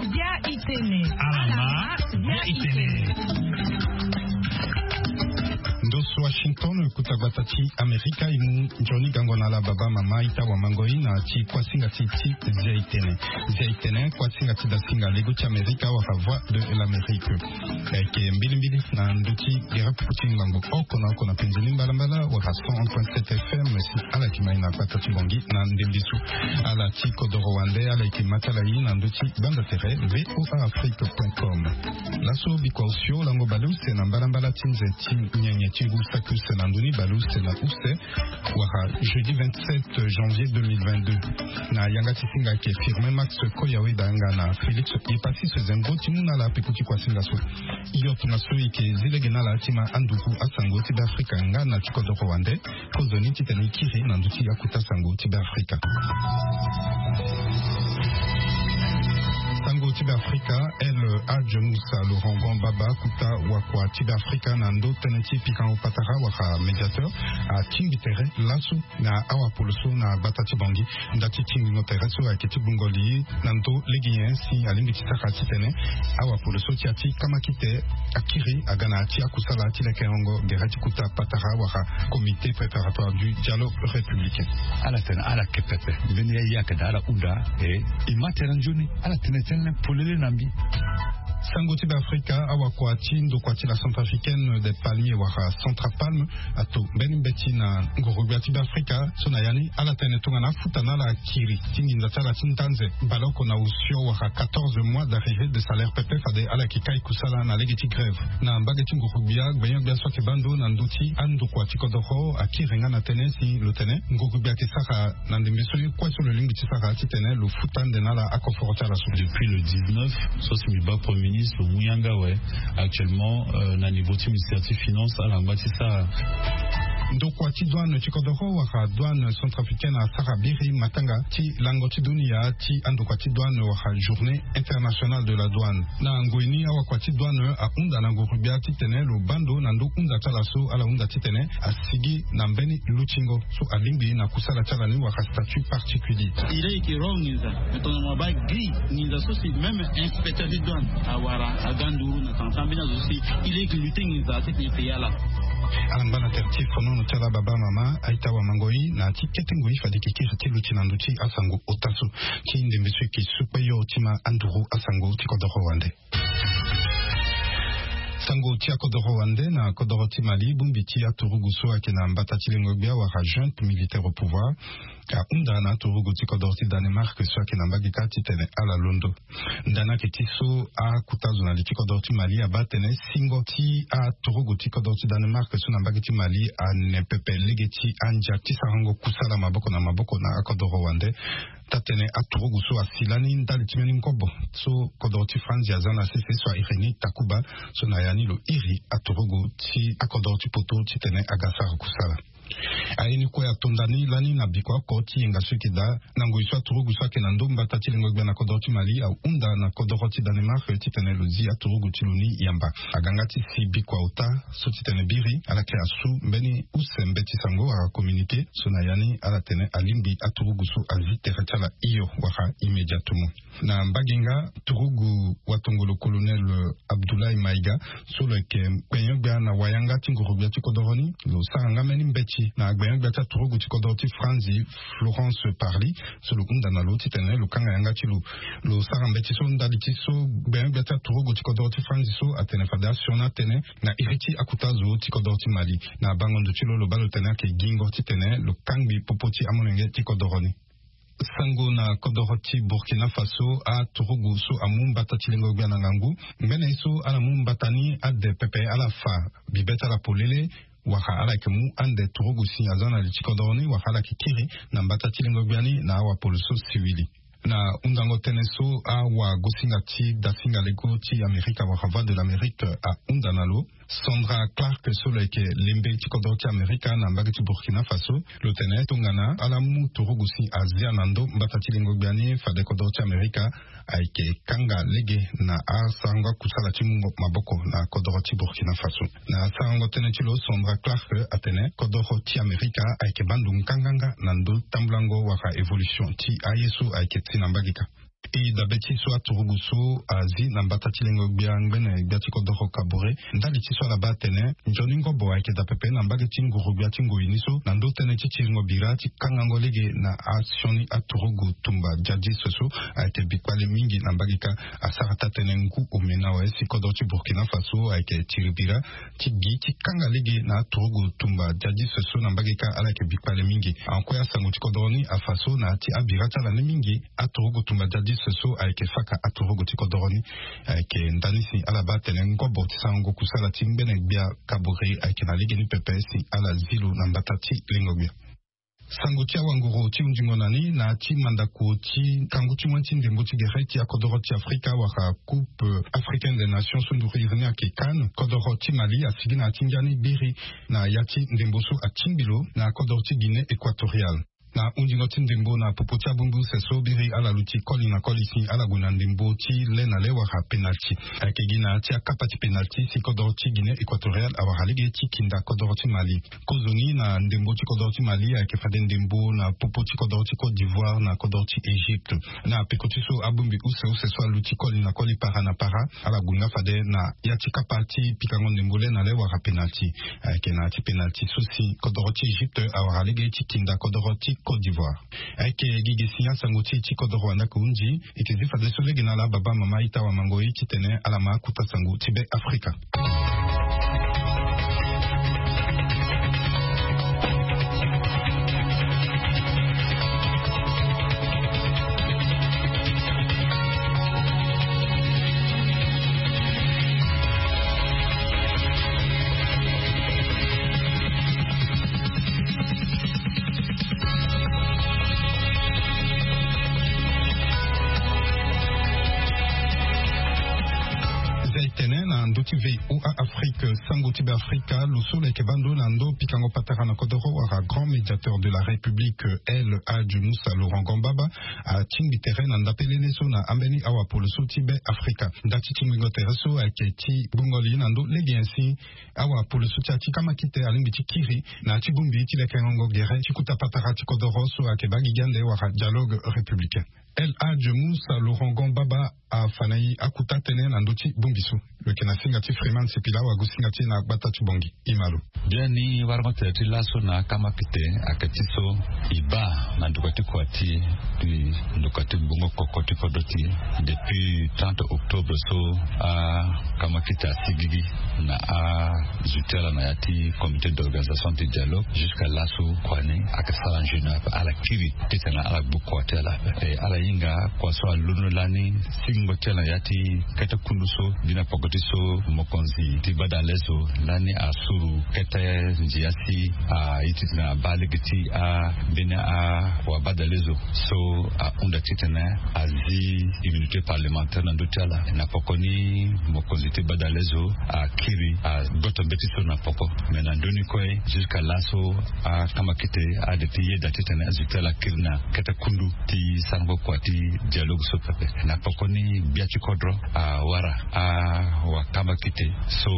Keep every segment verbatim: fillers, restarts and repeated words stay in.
Bia itene. Alama, bia itene. Ndoso Washington, kuta gbata ti Amerika, i mu nzoni gango na ala baba mama, ita wa mango i na ti kuasinga ti ti zia itene. Zia itene, kuasinga ti dasinga lego ti Amerika wala Voix de l'Amérique. Ayeke mbilimbili na ndö ti gere pupu ti ngangu oko na oko na penzi ni mbalambala wala cent un point sept F M si ala yeke mai na gbata ti Bangui na ndembe so. Ala ti kodoro wande ala yeke ma ti ala ye na ndö ti banza tere V O A Afrique point com. Laso bikua osio lango baleuse na mbalambala ti nze ti nyenye ti ngu saki use na ndö ni baleuse na use wala jeudi vingt-sept janvier deux mille vingt-deux. Na yanga ti singa ayeke Firmin Max Koyawe da nga na Félix Epassis Zengo ti mu na ala peko ti kuasinga so. Yo tongana so e yeke zi lege na ala ti ma anduku asango ti Beafrika nga na ti kodoro wande. Kozoni titene e kiri na ndö ti akuta sango ti Beafrika. Sango ti Beafrika, El Hadj Moussa Laurent Gon Baba, kuta wakua ti Beafrika na ndö tënë ti pikango patara wala médiateur, atingbi tere laso na awapolo so na gbata ti Bangui. Nda ti tingbingo tere so ayeke ti gbungo li na ndö lege nyen si alingbi ti sara titene awapolo so ti ya ti kamakite akiri aga na ya ti akusala ti lekerengo gere ti kuta patara wala comité préparatoire du dialogue républicain. Ala tene ala yeke pepe mbeni ya ye ayeke daa ala hunda. E, e ma tere nzoni ala tene tënë polele na mbi. Sango ti Beafrika, awakua ti ndokua ti la Centrafricaine des Palmiers wala Centrapalme ato mbeni mbeti na nguru-gbia ti Beafrika so na ya ni ala tene tongana afuta na ala akiri ti nginza ti ala ti ndanze baleoko na osio wala quatorze mois d'arrivée de salaire pepe fade ala yeke kai kusala na lege ti grève. Na mbage ti nguru-gbia gbenyo-gbia so ayeke baa ndo na ndö ti andokua ti kodoro akiri nga na tënë si lo tene nguru-gbia ayeke sara na ndembe so ye kue so lo lingbi ti sara titene lo futa ande na ala akoforo ti ala so. Depuis le dix-neuf so si mbi baa premier ministre lo mu yanga awe. Actuellement, euh, na niveau ti ministère ti finance ala ngba ti sara. Ndokua ti douane ti kodoro wala douane centrafricaine asara biri matanga ti lango ti dunia ti andokua ti douane wala journée internationale de la douane. Na ngoi ni awakua ti douane ahunda na nguru-gbia titene lo baa ndo na ndo hunda ti ala so ala hunda titene asigi na mbeni lutingo so alingbi na kusala ti ala ni wala statut particulier. Il est que ro nginza mais tongana mo baa gi nginza so si même inspecteur ti douane awara aga nduru na tanga ti ambeni azo so si il est que lutter nginza titene e payé ala. Ala ngba na tere ti fonono ti ala baba mama, a-ita wamango-i na ya ti kete ngoi fade e yeke kiri ti luti na ndö ti asango ota so ti ndembe so e yeke sukpe yo ti ma anduru asango ti kodoro wande. Sango ti akodoro wande na kodoro ti Mali, bongbi ti aturugu so ayeke na mbata ti lengo-gbia wala junte militaire au pouvoir ahunda na aturugu ti kodoro ti Danemark so ayeke na mbage kâ titene ala londo. Ndani ayeke ti so, akuta zo na li ti kodoro ti Mali abaa tene singo ti aturugu ti kodoro ti Danemark so na mbage ti Mali ane pepe lege ti andia ti sarango kusala maboko na maboko na akodoro wande. Taa-tënë aturugu so asi lani ndali ti mbeni ngobo so kodoro ti Franzi aza na sese so a iri ni Takuba, so na ya ni lo iri aturugu ti akodoro ti poto titene aga sara kusala. Aye ni kue ato ndani lani na bikua oko ti yenga so e yeke daa na ngoi so aturugu so ayeke na ndo mbata ti lengo-gbia na kodoro ti Mali ahunda na kodoro ti Danemark titene lo zi aturugu ti lo ni yamba. Aga nga ti si bikua ota so titene biri ala yeke asu mbeni use mbeti sango wala communiqué so na ya ni ala tene alingbi aturugu so azi tere ti ala hio wala immédiatement. Na mbage nga turugu watongolo colonel Abdoulaye Maïga so lo yeke gbenyo-gbia na wayanga ti nguru-gbia ti kodoro ni, lo sara nga mbeni mbeti na gbenyo-gbia ti aturugu ti kodoro ti Franzi, Florence Parly, so lo hunda na lo titene lo kanga yanga ti lo. Lo sara mbeti so ndali ti so gbenyo-gbia ti aturugu ti kodoro ti Franzi so atene fade asioni atënë na iri ti akuta zo ti kodoro ti Mali. Na bango ndo ti lo lo baa lo tene ayeke gingo titene lo kangbi popo ti amolenge ti kodoro ni. Sango na kodoro ti Burkina Faso, aturugu so amu mbata ti lengo-gbia na ngangu. Ngbene ye so ala mu mbata ni ade pepe ala fa bibe ti ala polele, wala ala yeke mu ande turugu si aza na li ti kodoro ni wala ala yeke kiri na mbata ti lengo-gbia ni na awapolo so siwili. Na hundango tënë so awagosinga ti dasinga lego ti Amerika wala Voix de l'Amérique ahunda na lo, Sandra Clark so lo yeke lembe ti kodro ti Amerika na mbage ti Burkina Faso, lo tene tongana ala mu turugu si azia na ndo mbata ti lengo gbia ni fade kodro ti Amerika ayeke kanga lege na asarango akusala ti mungo maboko na kodro ti Burkina Faso. Na asarango tënë ti lo, Sandra Clark atene kodro ti Amerika ayeke baa ndo nganganga na ndo tambulango wala évolution ti aye so ayeke ti na mbage ka. E dabe ti so aturugu so azi na mbata ti lengo gbia ngbene gbia ti kodoro Kabore, ndali ti so ala baa atene nzoni ngobo ayeke daa pepe na mbage ti nguru-gbia ti ngoi ni so, na ndo tënë ti tiringo bira ti kangango lege na asioni aturugu tumba djadis so ayeke bikpale mingi na mbage kâ. Asara taa-tënë ngu omena awe si kodoro ti Burkina Faso ayeke tiri bira ti gi ti kanga lege na aturugu tumba djadis so na mbage kâ, ala yeke bikpale mingi. Ahon kue asango ti kodoro ni afa so na ya ti abira ti ala ni mingi, aturugu tumba djadis so ayeke faka aturugu ti kodoro ni. Ayeke ndani si ala baa atene ngobo ti sarango kusala ti ngbene gbia Kabore ayeke na legeni pepe si ala zi lo na mbata ti lengo gbia. Sango ti awanguru ti hundingo na ni na ya ti mandako ti kangu ti moin ti ndembo ti gere ti akodoro ti Afrika wala Coupe Africaine des Nations so nduru iri ni ayeke CAN, kodoro ti Mali asigi na ya ti ngia ni biri na ya ti ndembo so atingbi lo na kodoro ti Guinée Équatoriale. Na hundingo ti ndembo na popo ti abongbi use so biri ala luti koli na koli si ala gue na ndembo ti le na le wala penalti. Ayeke gi na ya ti akapa ti penalti si kodoro ti Guinée Équatoriale awara lege ti kinda kodoro ti Mali. Kozoni na ndembo ti kodoro ti Mali ayeke fade ndembo na popo ti kodoro ti Côte d'Ivoire na kodoro ti Égypte. Na peko ti so abongbi use use so aluti koli na koli para na para, ala gue nga fade na ya ti kapa ti pikango ndembo le na le wala penalti. Ayeke na ya ti penalti so si kodoro ti Égypte awara lege ti kinda kodoro ti Côte d'Ivoire. Ayeke gi ge si asango ti e ti kodoro wanda kohunzi. E yeke zi fadeso lege na ala baba mama ita wamango ye titene ala ma akuta sango ti Be Afrika. Zia e tene na ndö ti VOA Afrique, sango ti Be Afrika, lo so lo yeke baa ndo na ndo pikango patara na kodoro wala grand médiateur de la République, El Hadj Moussa Laurent Gambaba, atingbi tere na ndapelene so na ambeni awapolo so ti Be Afrika. Nda ti tingbingo tere so ayeke ti gbongo li na ndo lege nyen si awapolo so ti ya ti kamakite alingbi ti kiri na ya ti bongbi ti lekengo gere ti kuta patara ti kodoro so ayeke baa gigi ande wala dialogue républicain. El Hadj Moussa Laurent Gambaba afa na e akuta tënë na ndö ti bongbi so. Lo yeke na singa ti Freeman Sipila, awagu singa ti e na gbata ti Bongi. E ma lo. Biani warango tere ti laso na akamakite ayeke ti so e baa na nduka ti kua ti e, nduka ti gbongo koko ti kodro ti e, depuis trente octobre so akamakite asigigi na azo ti ala na ya ti comité d'organisation ti dialogue. Jusqu'à laso kua ni ayeke sara nzoni ape, ala kiri titene ala gbu kua ti ala ape. E ala hinga kua so alondo lani singo ti ala na ya ti kete kundu so, gi na poko ti so mokonzi ti badale so lani asuru kete ndia si aye titene abaa lege ti ambeni awabadale zo so ahunda titene azi immunité parlementaire na ndö ti ala. Na poko ni mokonzi ti badale zo akiri agboto mbeti so na poko. Me na ndö ni kue, jusqu'à laso akamakite ade ti yeda titene azo ti ala akiri na kete kundu ti sarango kua ti dialogue so pepe. Na pokoni gbia ti kodro awara awa kamakite so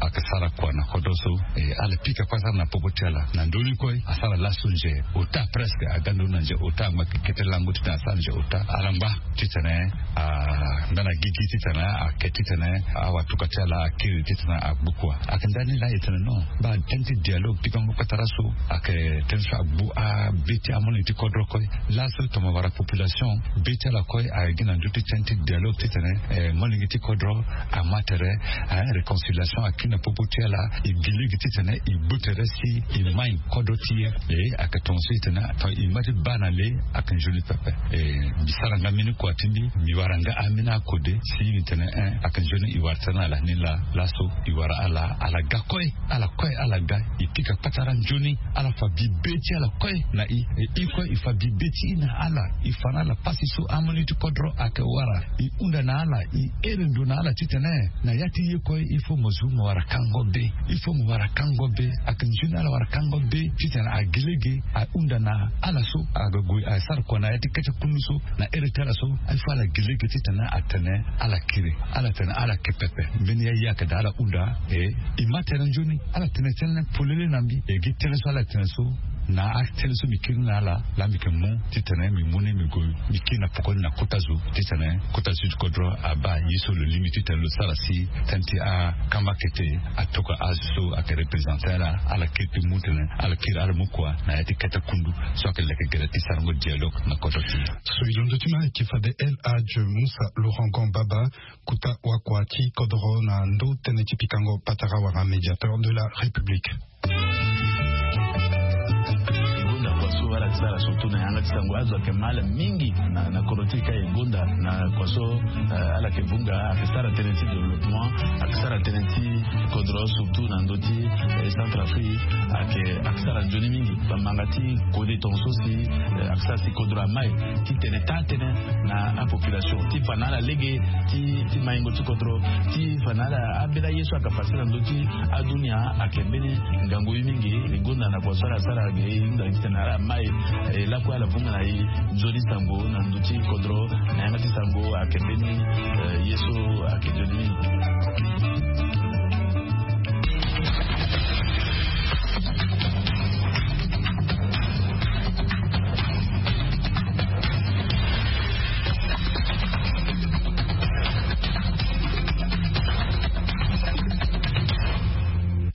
ayeke sara kua na kodro so, e ala pika kpasara na popo ti ala. Na ndö ni kue asara laso nze ota, presque aga ndo na nze ota, angba kete lango titene asara nze ota. Ala ngba titene a nda na gigi titene ake titene awatuka ti ala akiri titene agbu kua. Ayeke ndani laa e tene non, baa tënë ti dialogue pikango patara so ayeke tënë so agbu abe ti amolenge ti kodro kue. Laso tongana wara population, be ti ala kue ayeke gi na ndö ti tënë ti dialogue titene, eh, molenge ti kodro ama tere, eh, réconciliation akiri na popo ti ala. E gi lege titene e gbu tere si e mai kodro ti e. E ayeke tongaso e tene, tongana e ma ti baa na le, ayeke nzoni pepe. E mbi sara nga mbeni kua ti mbi, mbi wara nga ambeni akode si mbi tene, eh, ayeke nzoni e wara tere na ala ni laa. Laso e wara ala, ala ga kue. Ala kue ala ga, e pika patara nzoni. Ala fa bibe ti ala kue na e, e, e kue e fa bibe ti e na ala. E fa na ala pasi so amolenge ti kodro ayeke wara. E hunda na ala, e here ndo na ala titene na ya ti e kue il faut mo zu mo wara kango be. Il faut mo wara kango be. Ayeke nzoni ala wara kango be titene agi lege ahunda na ala so aga gue asara kua na ya ti kete kundu so. Na here ti ala so, il faut ala gi lege titene atene ala kiri. Ala tene ala ke pepe. Mbeni ya ye ayeke daa ala hunda. E e ma tere nzoni, ala tene tënë polele na mbi. E gi tënë so ala tene so, Na atënë so mbi kiri na ala, laa mbi yeke mu titene mbi mu ni mbi gue, mbi kiri na poko ni na kota zo titene kota sud kodro abaa ye so lo lingbi titene lo sara si tënë ti akama kete atoka azo so ayeke represente ala. Ala kiri ti mu tene ala kiri ala mu kua na ya ti kete kundu so ayeke leke gere ti sarango dialogue na kodro ti. So e londo ti ma ayeke fade El Hadj Moussa Laurent Gambaba, kota wakua ti kodro na ndo tënë ti pikango patara wala médiateur de la République. E gonda kua so ala ti sara surtout na yanga ti sango azo ayeke ma ala mingi na, na kodro ti e ka e gonda na kua so, eh, ala yeke vunga ayeke sara tënë ti développement, ayeke sara tënë ti kodro surtout na ndö ti, eh, Centrafrique ayeke, ayeke sara nzoni mingi. Bamanga ti kode tongaso si, eh, ayeke sara si kodro amai titene taa tënë na apopulation ti fa na ala lege ti, ti maingo ti kodro, ti fa na ala ambeni aye so ayeke fade na ndö ti adunia ayeke mbeni ngangu ye mingi. E gonda na kua so ala sara ge e hunda titene ala mai, eh, lakue ala vunga na e nzoni sango na ndö ti kodro na yanga ti sango ayeke mbeni, eh, ye so ayeke nzoni mingi.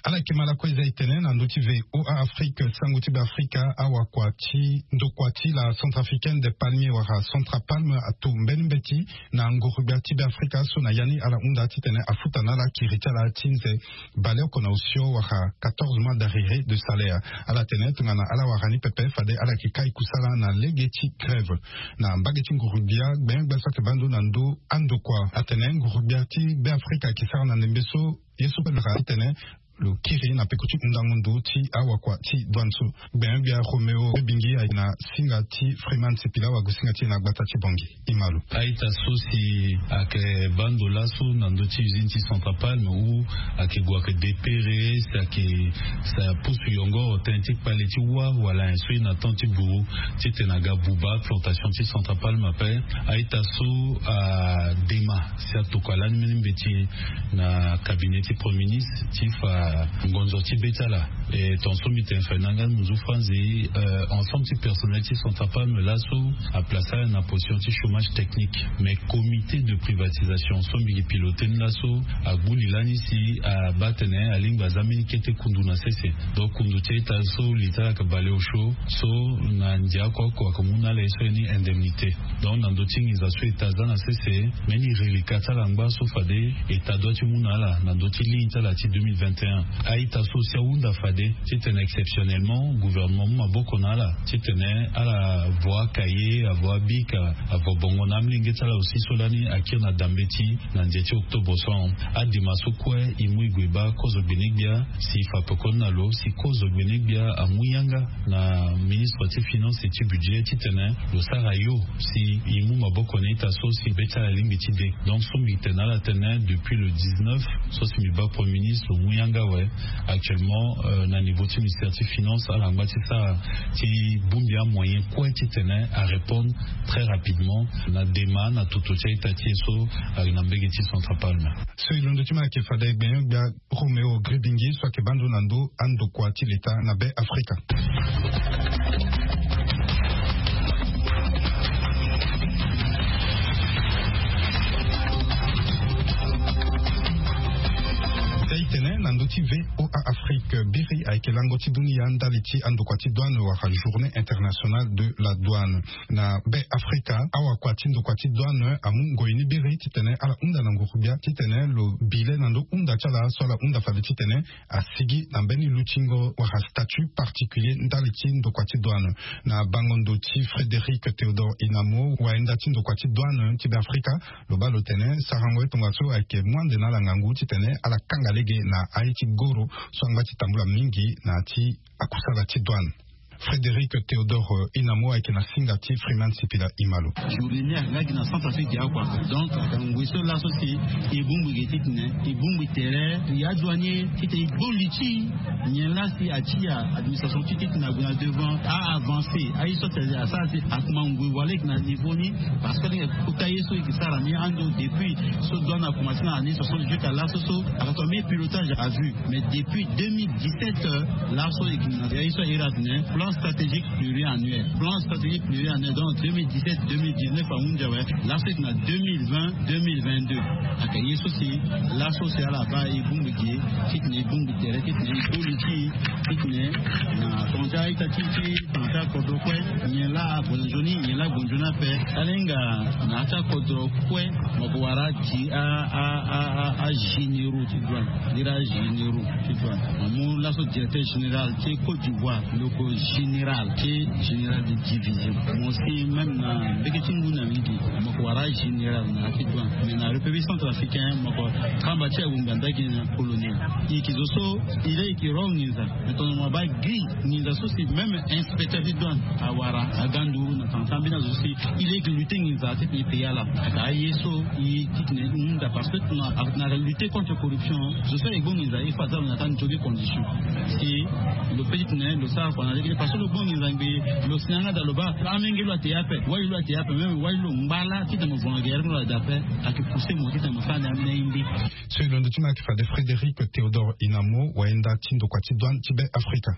Ala yeke ma lakue eza e tene na ndö ti V O A Afrique, sango ti Beafrika, awakua ti ndokua ti la Centrafricaine des Palmiers wala Centrapalme ato mbeni mbeti na nguru-gbia ti Beafrika so na ya ni ala hunda titene afuta na ala kiri ti ala ti nze baleoko na osio wala quatorze mois d'arriéré de salaire. Ala tene tongana ala wara ni pepe fade ala yeke kai kusala na lege ti grève. Na mbage ti nguru-gbia, gbenyo-gbia so ayeke baa ndo na ndo andokua atene nguru-gbia ti Beafrika ayeke sara na ndembe so ye so pe lo yeke tene lo kiri na peko ti hundango ndo ti awakua ti douane so. Gbenyo-gbia Roméo Bingi ayeke na singa ti Freeman Sipila wagosinga ti e na gbata ti Bangui. E ma lo. A-ita so si ayeke baa ndo laso na ndö ti usine ti Centrapalme ou ayeke gue ayeke depere si ayeke sa pusu yongoro tënë ti kpale ti wâ wala ayen so e na temps ti buru titene aga buba plantation ti Centrapalme ape. A-ita so adema si atokua lani mbeni mbeti na cabinet ti Premier ministre ti fa ngonzo ti be ti ala. E tongaso mbi tene fa e na nga ni munzu franzi, eh, ensemble ti personnel ti Centrapalme laso aplace ala na position ti chômage technique. Mais comité de privatisation so mbi yeke piloté ni laso agbu li lani si abaa atene alingbi aza mbeni kete kundu na sese. Donc kundu ti a-ita so li ti ala ayeke baleosio so na ndia oko oko ayeke mu na ala ye so ye ni indemnité. Donc na ndö ti nginza so État aza na sese, mbeni reliquat ti ala angba so fade État doit ti mu na ala na ndö ti ligne ti ala ti deux mille vingt et un. A-ita so si ahunda fade titene exceptionnellement gouvernement amu maboko na ala titene ala vo akaye, avo abic, avo bongo na amolenge ti ala aussi so lani akiri na dambe ti na ndia ti octobre so ahon. Adema so kue e mu e gue e baa kozo gbene-gbia si e fa pekoni na lo si kozo gbene-gbia amu yanga na ministre ti finance et ti budget titene lo sara yo si e mu maboko na a-ita so si be ti ala alingbi ti de. Donc so mbi tene na ala tene depuis le dix-neuf so si mbi baa Premier ministre lo mu yanga awe. Actuellement, euh, na niveau ti ministère ti finance ala ngba ti sara ti bongbi amoyen kue titene arépondre très rapidement na dema na toto ti a-ita ti e so ayeke na mbage ti Centrapalme. So e londo ti ma ayeke fade gbene-gbia Roméo Gribingi so ayeke baa ndo na ndo andokua ti leta na Be Afrika. Ti a-itene na ndö ti V O A Afrique, biri ayeke lango ti dunia ndali ti andokua ti douane wala Journée internationale de la douane. Na Be Afrika, awakua ti ndokua ti douane amu ngoi ni biri titene ala hunda na nguru-gbia titene lo bi le na ndo hunda ti ala so ala hunda fade titene asigi na mbeni lutingo wala statut particulier ndali ti ndokua ti douane. Na bango ndo ti Frédéric Théodore Inamo, wayenda ti ndokua ti douane ti Be Afrika, lo baa lo tene sarango ye tongaso ayeke mu ande na ala ngangu titene ala kanga lege na aye ti goro so angba ti tambula mingi na ya ti akusala ti douane. Frédéric Théodore Inamo ayeke na singa ti Freeman Sipila. E ma lo. Journée ni ayeke nga gi na Centrafrique ya kua. Donc ayeke ngoi so laso si e bongbi ge titene e bongbi tere ya douanier titene e bongbi ti Nyen laa si atia administration ti titene ague na devant a avancer aye so ati asara si akuma ngui wala eke na niveau ni. Parce que ndenge kota ye so eke sara ni ando depuis so douane akomanse na année soixante-dix-huit à laso so akatoma mbi pilotage à vue. Mais depuis deux mille dix-sept laso eke na ye so ayera atene plan stratégique pluriannuel, plan stratégique pluriannuel. Donc deux mille dix-sept deux mille dix-neuf ahunzi awe. Laso eke na deux mille vingt deux mille vingt-deux. Aka ye so si laso si ala baa e bongbi gi titene e bongbi tere titene e boli ti titene na tonga ti aita ti ti tonga ti akodro kue. Nyen laa ague na nzoni nyen laa ague na nzoni ape. Ala hinga na ya ti akodro kue. Mo ko wara ti a a a a agénéraux ti douane. Lira agénéraux ti douane. Mo mu laso directeur général ti côte d'ivoire. Lo ko général ti général de division. Mo si même na mbeke ti ngu na mingi mo ko wara général na ya ti douane. Mais na république centrafricaine mo ko kamba ti agunga ndagi na colonel. E yeke zo so e laa e yeke ro nginza. Mais tongana mo baa gi nginza so si même inspecteur ti douane awara aga nduru na tanga ti ambeni azo so si e laa e yeke lutter nginza titene e payé ala. Aka aye so e titene e hunda parce que na lutter contre corruption zo so e gbo nginza il faut aza lo na ata nzoni condition. Si lo pe titene lo sara kua na lege parce que lo gbo nginza ngbii lo si na yanga daa lo baa amenge lo ate ape wali lo ate ape même wali lo ngba laa titene mo vonga gere lo ate ape. Ake pousser mo titene mo sara ni ambeni aye mbi. So e londo ti mo ayeke fade Frédéric Théodore Inamo wayenda ti ndokua ti douane ti Be Afrika.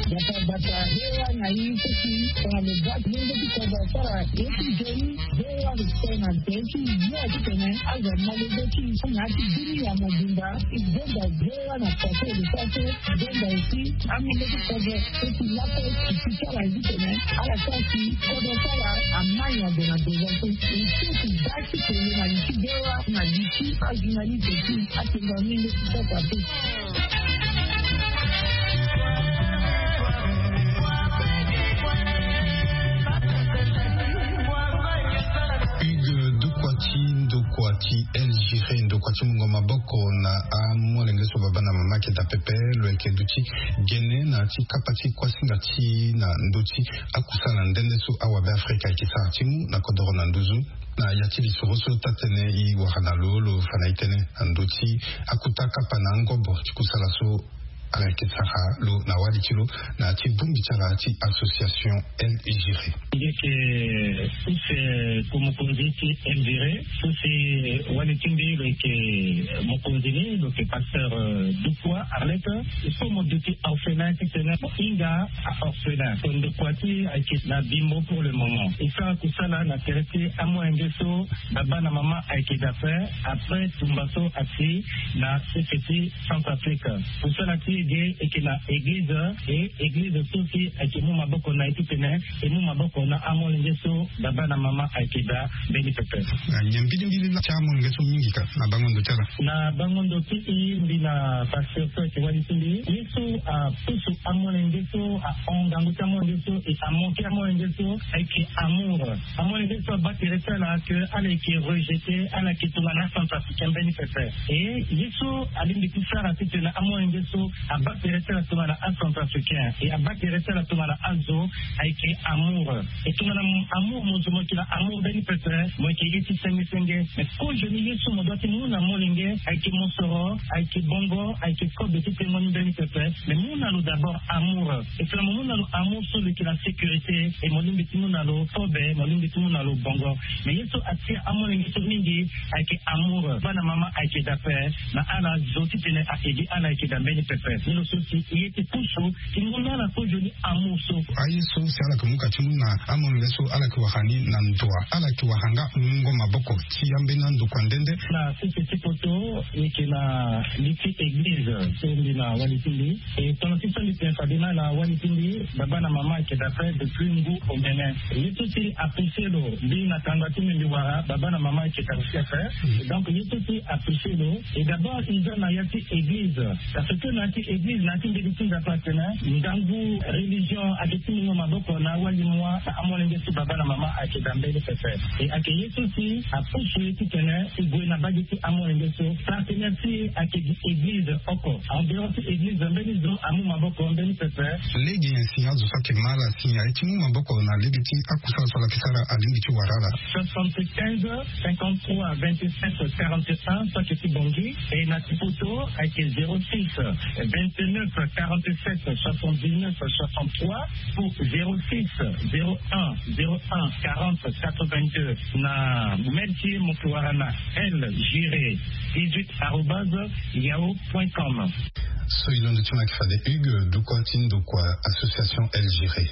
Bata bata hewa na ye so si tongana lo baa ti lenge ti kodro asara ye ti nzoni. Hewa lo sara na nze ti yo titene azo amolenge ti na ya ti bini ya mobimba. E zonza hewa na kua so lo sara so zonza aussi amolenge ti kodro so si laso e si ti ala titene ala sara si kodro ti ala amai na ndo na ndo so e si ti baa ti tene na li ti hewa na li ti ajournaliste ti atengo amolenge ti sasa pe. Hugues, ndokua ti ndokua ti El Giré, ndokua ti mungo maboko na amolenge so baba na mama ayeke daa pepe. Lo yeke duti gene na ya ti kapa ti kuasinga ti na ndö ti akusala nde nde so awabe Afrika ayeke sara ti mu na kodoro na nduzu. Na ya ti lisoro so taa-tënë e wara na lo, lo fa na e tënë na ndö ti akota kapa na angobo ti kusala so ala yeke sara lo na wali ti lo na ya ti bongbi ti ala ti association El Giré. Nge yeke use ko mokonzi ti El Giré so si wali ti mbi lo yeke mokonzi ni, lo yeke pasteur Dukwa Arlette. So mo duti orphelin titene mo hinga a orphelin. So ndokua ti ayeke na bimbo pour le moment. E sara kusala na tere ti amolenge so baba na mama ayeke daa ape. Après tumba so asi na sese ti Centrafrique. Kusala ti e ge e yeke na eglize, e eglize so si ayeke mu maboko na e titene e mu maboko na amolenge so baba na mama ayeke daa mbeni pepe. Na nyen mbilimbili laa ti amolenge so mingi ka na bango ndo ti ala? Na bango ndo ti e, mbi na pasteur so ayeke wali ti mbi, ye so apusu amolenge so ahon ngangu ti amolenge so e amoke amolenge so ayeke amour. Amolenge so abaa tere ti ala ke ala yeke rejeté, ala yeke tongana acentrafricain mbeni pepe. E ye so alingbi ti sara titene amolenge so abaa tere ti ala tongana acentrafricain e abaa tere ti ala tongana azo ayeke amour. E tongana amour mo zo mo yeke na amour mbeni pepe, mo yeke ye ti senge senge. Mais kozoni ye so mo doit ti mu na molenge ayeke mosoro, ayeke bongo, ayeke kobe ti tengo ni mbeni pepe. Mais mu na lo d'abord amour. E tongana mo mu na lo amour so lo yeke na sécurité, e mo lingbi ti mu na lo kobe, mo lingbi ti mu na lo bongo. Mais ye so atia amolenge so mingi ayeke amour. Baba na mama ayeke daa ape na ala zo titene a aidé ala ayeke daa mbeni pepe. Ni lo so si e ye ti pusu ti mu na ala kozoni amour so. Aye so si ala yeke mu ka ti mu na amolenge so ala yeke wara ni na ndoa, ala yeke wara nga mungo maboko ti ambeni andokua nde nde. Na sese ti poto e yeke na li ti église so mbi na wali ti mbi. E tongana ti so mbi tene fade na ala wali ti mbi, baba na mama ayeke daa ape depuis ngu omene. Ye so si apousser lo, mbi na tanga ti mbi mbi wara baba na mama ayeke daa aussi ape. Donc ye so si apousser lo, e d'abord e za na ya ti église. Parce que na ya ti Eglize na ya ti mbeti ti nzapa atene ngangu religion ayeke ti mungo maboko na awali mua na amolenge ti baba na mama ayeke daa mbeni pepe. E ayeke ye so si apusu ye titene e gue na mbage ti amolenge so. Partenaire ti e ayeke gi eglize oko. En dehors ti eglize mbeni zo amu maboko mbeni pepe. Lege nyen si azo so ayeke ma ala si aye ti mu maboko na lege ti akusala so ala yeke sara alingbi ti wara ala? Soixante-quinze, cinquante-trois, vingt-sept, quarante et un, so ayeke ti Bangui. E na ti poto ayeke zéro six, vingt-neuf, quarante-sept, soixante-dix-neuf, soixante-trois, ou zéro six, zéro un, zéro un, quarante, quatre-vingt-deux. Na mail ti e mo yeke wara na L Giré dix-huit arobase yahoo point com. So e londo ti mo ayeke fade Hugues Dukol ti ndokua association L Giré.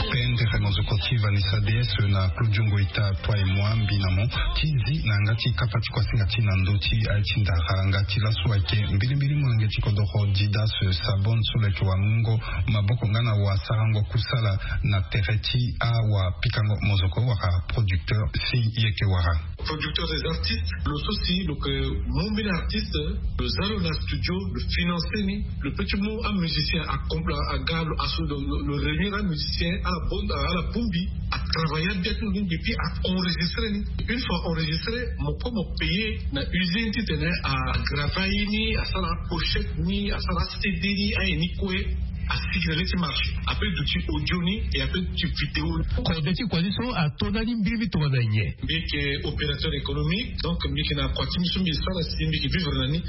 Pendere mozoko ti Vanessa D S na Claudio Ngoita, toi moi mbi na mo ti zi na yanga ti kapa ti kuasinga ti na ndö ti aye ti ndara. Yanga ti laso ayeke mbilimbili molenge ti kodoro Didas Sabon so lo yeke wamungo maboko nga na wasarango kusala na tere ti awapikango mozoko wala producteur si e yeke wara. Producteur des artistes, lo so si lo yeke mu mbeni artiste, lo za lo na studio, lo financer ni, lo peut ti mu amusicien akompla aga lo aso lo, lo, lo réunir amusicien ala bon, ala bongbi, atravailler abia ti lo ni, et puis a enregistrer ni. Une fois enregistré, mo kue mo payer na usine titene agravailler ni, asara pochette ni, asara CD ni, aye ni kue. Asigi na lê ti marché. Après duti audio ni, et après duti vidéo. Kode ti kua ti so ato ndani mbirimbiri tongana nyen? Mbi yeke opérateur économique, donc mbi yeke na kua ti mbi so mbi sara si mbi yeke vivre na ni.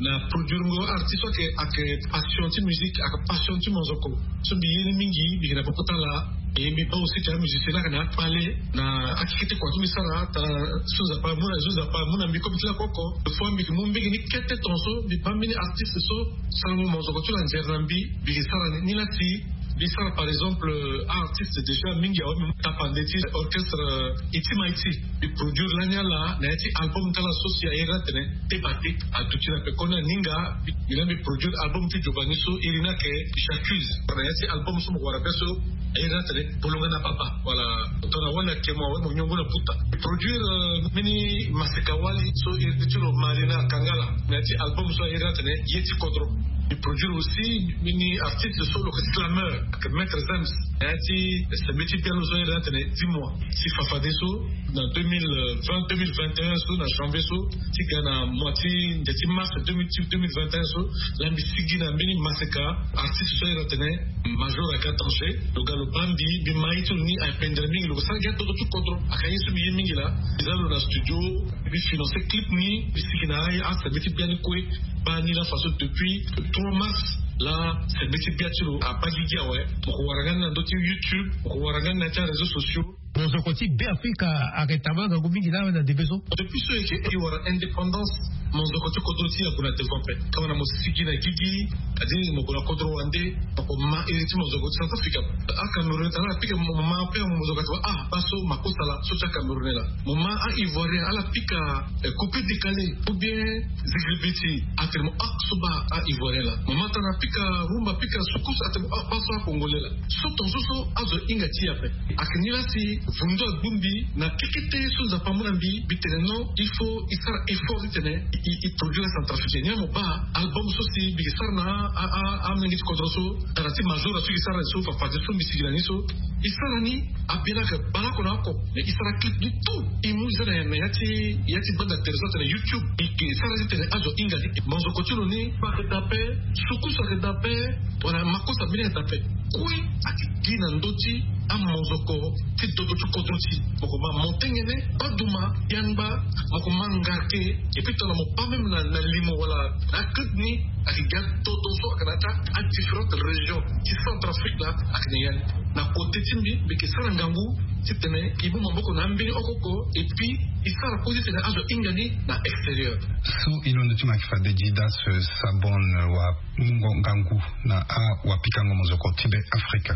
Na produire ngo artiste so ayeke, ayeke passion ti musique, ayeke passion ti monzoko. So mbi ye ni mingi, mbi yeke na poko ti ala. Et mbi baa aussi ti amusicien ni ayeke na akpale na akeke ti kua so mbi sara, tara so Nzapa amu na, so Nzapa amu na mbi kobe ti lakoko. Fois mbi yeke mu mbege ni kete tongaso mbi baa mbeni artiste so sarango monzoko ti lo anzere na mbi, mbi yeke sara ni. Ni la si mbi sara par exemple, euh, artiste déjà mingi awe, mbi mu tapande ti orchestre, euh, Iti Maiti. Mbi produire lani ala na ya ti album ti ala so si airi ni atene Te Bate. Aduti na pekoni aninga. Mbi, mbi na mbi produire album ti Giovanni so iri ni ayeke J'accuse. Na ya ti album so mo wara be so airi ni atene Bolonga na Baba. Voilà. Tongana wali ayeke mo awe, mo nyongo na buta. Produire, euh, mbeni maseka wali so iri ti lo Marina Kangala. Na ya ti album so airi ni atene Ye ti Kodro. Mbi produire aussi mbeni artiste so lo yeke slameur, ayeke Maître Zems. Na ya ti sembe ti bia lo so airi ni atene Dis-moi. Si fafadeso na deux mille vingt, deux mille vingt et un so, na janvier so, ti ga na mois ti nde ti mars deux mille, deux mille vingt et un so, la mbi sigi na mbeni maseka artiste so airi ni atene Major Aga Danger. Lo ga lo baa mbi, mbi ma ye ti lo ni apendere mingi, lo ke sara gi adodo ti kodro. Ayeke ye so mbi ye mingi laa. Mbi za lo na studio, mbi financer clip ni, mbi sigi na aye asembe ti bia ni kue. Baa ni la façon depuis trois mars la, sembe ti bia ti lo abaa gigi awe. Mo ke wara nga ni na ndö ti YouTube, mo ke wara nga ni na ya ti aréseaux sociaux. Monzoko ti Beafrika ayeke tama ngangu mingi laa na ndembe so. Depuis so e yeke e wara indépendance, monzoko ti kodro ti e ague na devant ape. Tongana mo sigi na gigi, kadi mo gue na kodro wande, mo ko ma iri ti monzoko ti Centrafrique ape. Acamerounais tara apika mo ma ape, monzoko ati wa, ah, baa so makosa laa, so ti acamerounais laa. Mo ma a-ivoirien ala pika, eh, coupé décalé ou bien zigiribiti, atene mo, ah, so baa a-ivoirien laa. Mo ma tara apika rumba, apika soukous, atene mo, ah, baa so a-congolais laa. So tongaso so azo hinga ti e ape. Ayeke ni la si vundu agbu mbi na kekete so Nzapa amu na mbi, mbi tene non, il faut e sara effort titene e, e, e produire acentrafricain. Ni la mo baa album so si mbi yeke sara na a, a, a, amolenge ti kodro so, tara ti Major so e yeke sara so, fafadeso mbi sigi na ni so, e sara ni, abia ni ayeke bale oko na oko. Mais e sara clip ni tout. E mu e za na, na ya ti, ya ti banda tere so atene YouTube. E, e sara titene azo hinga ni. Monzoko ti lo ni, ayeke daa ape, soukous ayeke daa ape, wala makosa mbeni ayeke daa ape. Kue ayeke gi na ndö ti amozoko ti toto ti kodro ti mokoma motengene baduma yangba mokoma ngarke. Epui tongana mo pa même na limo wala na akete ni ayeke ga toto so ayeke na ata adifférente région ti Centrafrique la. Ayeke na ya ni na kote ti mbi mbi yeke sara ngangu titene e mu maboko na ambeni oko oko. Epui e sara kue titene azo ahinga ni na extérieur. So e londo ti ma yeke fade didas sabon wa mungo ngangu na awapikango mozoko ti be afrika.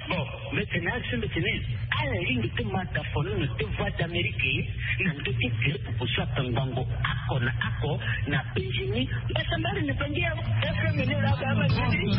Bon, mete na action mete ni ala lingi ti mata fono na te voix d'amérique na ndo ti groupe poso ata ngango ako na ako na benjini. Basambari na bangi ya fm ni la ba ma jini.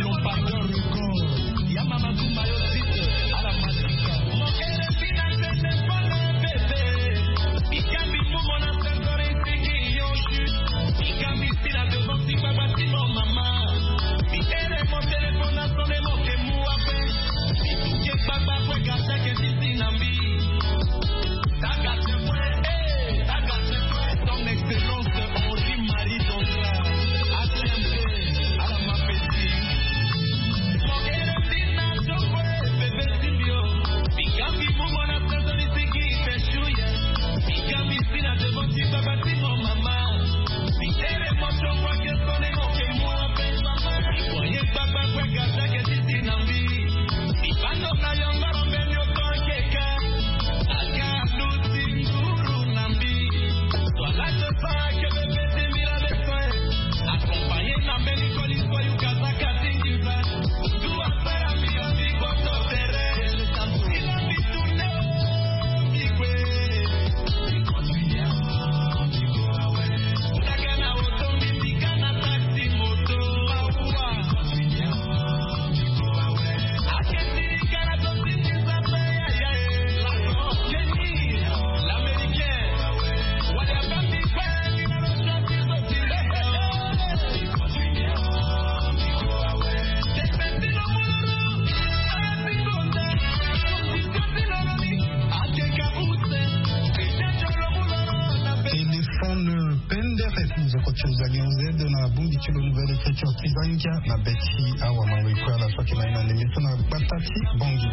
Téléphone pendere nzoko ti ozali onzede na bongbi ti lo nouvelle écriture ti zangia na be ti awamango ikue ala so ayeke na ye na ndembe so na gbata ti bongi.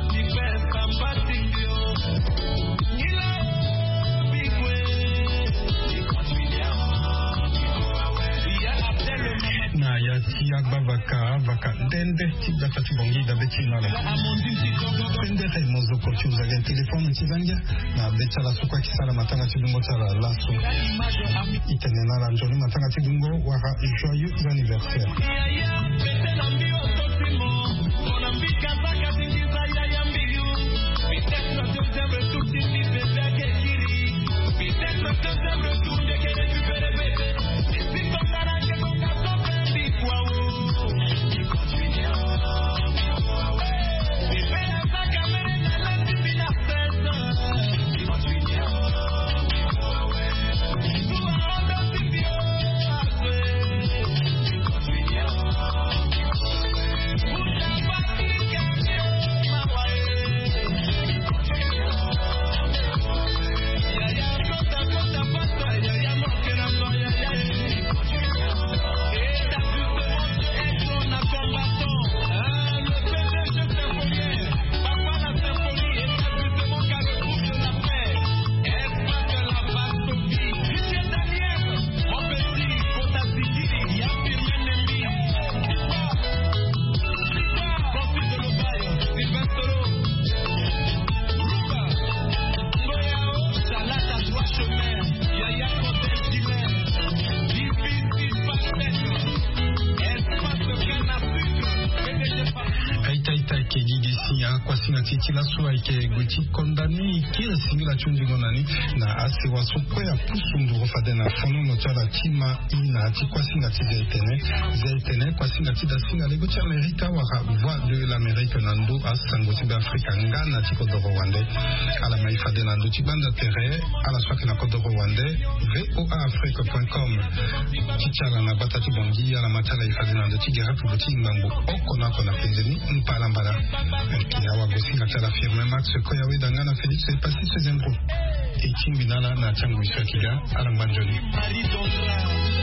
Na ya ti agbavaka avaka ndende ti gbata ti bongi dabe ti na lo. Pendere mozoko ti ozali téléphone ti zangia na be ti ala so kue ayeke sara matanga ti dungo ti ala laso. E tene na ala nzoni matanga ti dungo wala joyeux anniversaire. Aita ita ayeke gi gi si akuasinga ti e ti laso ayeke gue ti konda ni kiri singila ti hundingo na ni na asewa so kue apusu nduru fade na fonono ti ala ti ma i na ya ti kuasinga ti zia etene. Zia etene kuasinga ti dasinga lego ti amerika wala voix de l'amérique na ndo asango ti be afrika nga na ti kodoro wande. Ala ma e fade na ndo ti gbanda tere ala so ayeke na kodoro wande. Voa afrique point com. Ti ti ala na gbata ti bongi ala ma ti ala e fade na ndo ti gere pupu ti ngbangbo oko na oko na penze ni. Mbalambala. Ayeke awagosinga ti ala firme max koya weda nga na félix epassis zembro. E tingbi na ala na ti angui so ayeke ga. Ala ngba nzoni.